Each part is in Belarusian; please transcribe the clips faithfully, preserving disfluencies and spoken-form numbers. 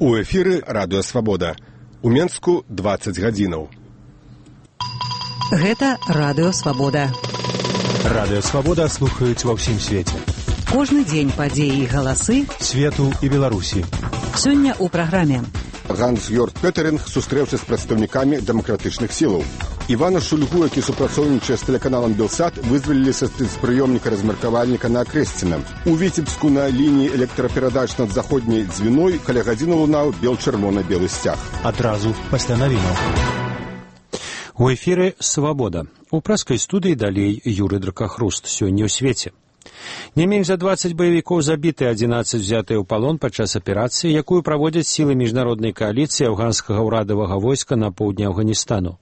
У эфіры Радыё Свабода. У Менску дваццаць гадзінаў. Гэта Радыё Свабода. Радыё Свабода слухаюць ва ўсім свеце. Кожны дзень падзеі і галасы свету і Беларусі. Сёння ў праграме. Ганс-Йорг Петеринг сустрэўся з прадстаўнікамі дэмакратычных сілаў. Івана Шульгу, які супрацоўнічае з тэлеканалам «Белсат», вызвалілі са спецпрыёмніка-размеркавальніка на Акрэсціна. У Віцебску на лініі электраперадач над заходняй дзвіной каля гадзіны лунаў бел-чырвона-белы сцяг. Адразу пасля навінаў. У эфіры «Свабода». У праскай студыі далей Юрый Дракахруст. Сёння ў свеце. Не менш за дваццаць баевікоў забіты, адзінаццаць узятыя ў палон падчас аперацыі, якую праводзяць сілы міжнароднай кааліцыі афганскага ўрадавага войска на поўдні Афганістану.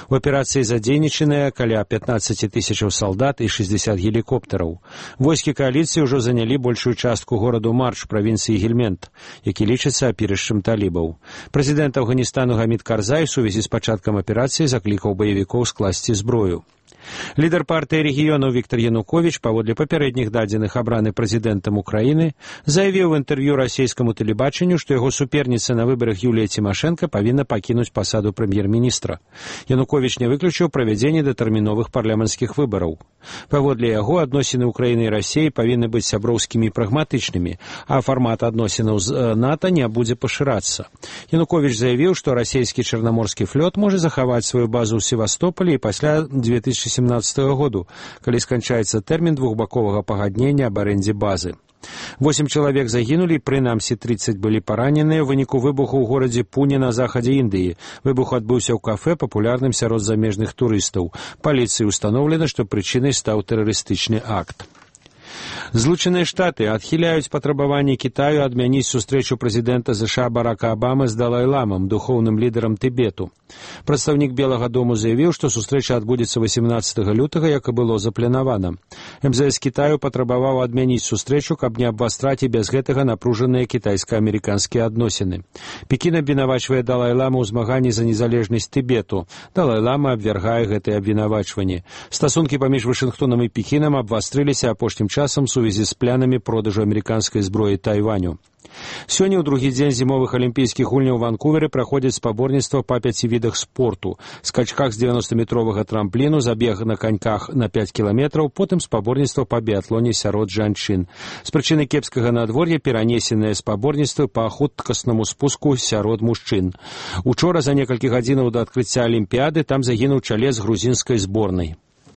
У аперацыі задзейнічаныя каля пятнаццаць тысячаў салдат і шэсцьдзесят гелікоптараў. Войскі кааліцыі ўжо занялі большую частку гораду Марч правінцыі Гельмент, які лічыцца апірышчам талібаў. Прэзідэнт Афганістану Гамід Карзай у сувязі з пачаткам аперацыі заклікаў баевікоў скласці зброю. Лідар партыі рэгіёнаў Віктор Януковіч, паводле папярэдніх дадзеных абраны прэзідэнтам Украіны, заявіў у інтэрв'ю расійскаму тэлебачанню, што яго суперніца на выбарах Юлія Цімашэнка павінна пакінуць пасаду прэм'ер-міністра. Януковіч не выключыў правядзенне датэрміновых парламенцкіх выбараў. Паводле яго, адносіны Украіны і Расіі павінны быць сяброўскімі і прагматычнымі, а фармат адносінаў з НАТО не будзе пашырацца. Януковіч заявіў, што расійскі чарнаморскі флот можа захаваць сваю базу ў Севастополі і пасля две тысячи семнадцатого году, калі сканчаецца тэрмін двухбаковага пагаднення аб арэндзе базы. Восем чалавек загінулі, прынамсі тридцать былі параненыя ў выніку выбуху ў горадзе Пуне на захадзе Індыі. Выбух адбыўся ў кафэ, папулярным сярод замежных турыстаў. Паліцыі ўстаноўлена, што прычынай стаў тэрарыстычны акт. Злучаныя Штаты адхіляюць патрабаванні Кітаю адмяніць сустрэчу прэзідэнта ЗША Барака Абамы з Далай-ламам, духоўным лідарам Тыбету. Прадстаўнік Белага дому заявіў, што сустрэча адбудзецца васемнаццатага лютага, як і было запланавана. эм зэ эс Кітаю патрабаваў адмяніць сустрэчу, каб не абвастраць і без гэтага напружаныя кітайска-амерыканскія адносіны. Пекін абвінавачвае Далай-ламу ў змаганні за незалежнасць Тыбету. Далай-лама абвяргае гэтыя абвінавачванні. Стасункі паміж Вашынгтонам і Пекінам абвастрыліся апошнім часам у сувязі з планамі продажу амерыканскай зброі Тайваню. Сёння ў другі дзень зімовых алімпійскіх гульняў у Ванкуверы праходзяць спаборніцтва па пяці відах спорту. Скачках з дзевяноста-метровага трампліну, забег на каньках на пяць кіламетраў, потым спаборніцтва па біятлоне сярод жанчын. З прычыны кепскага надвор'я перанесеныя спаборніцтвы па хуткаснаму спуску сярод мужчын. Учора за некалькі гадзінаў да адкрыцця алімпіяды там загінуў чалец грузінскай зборнай.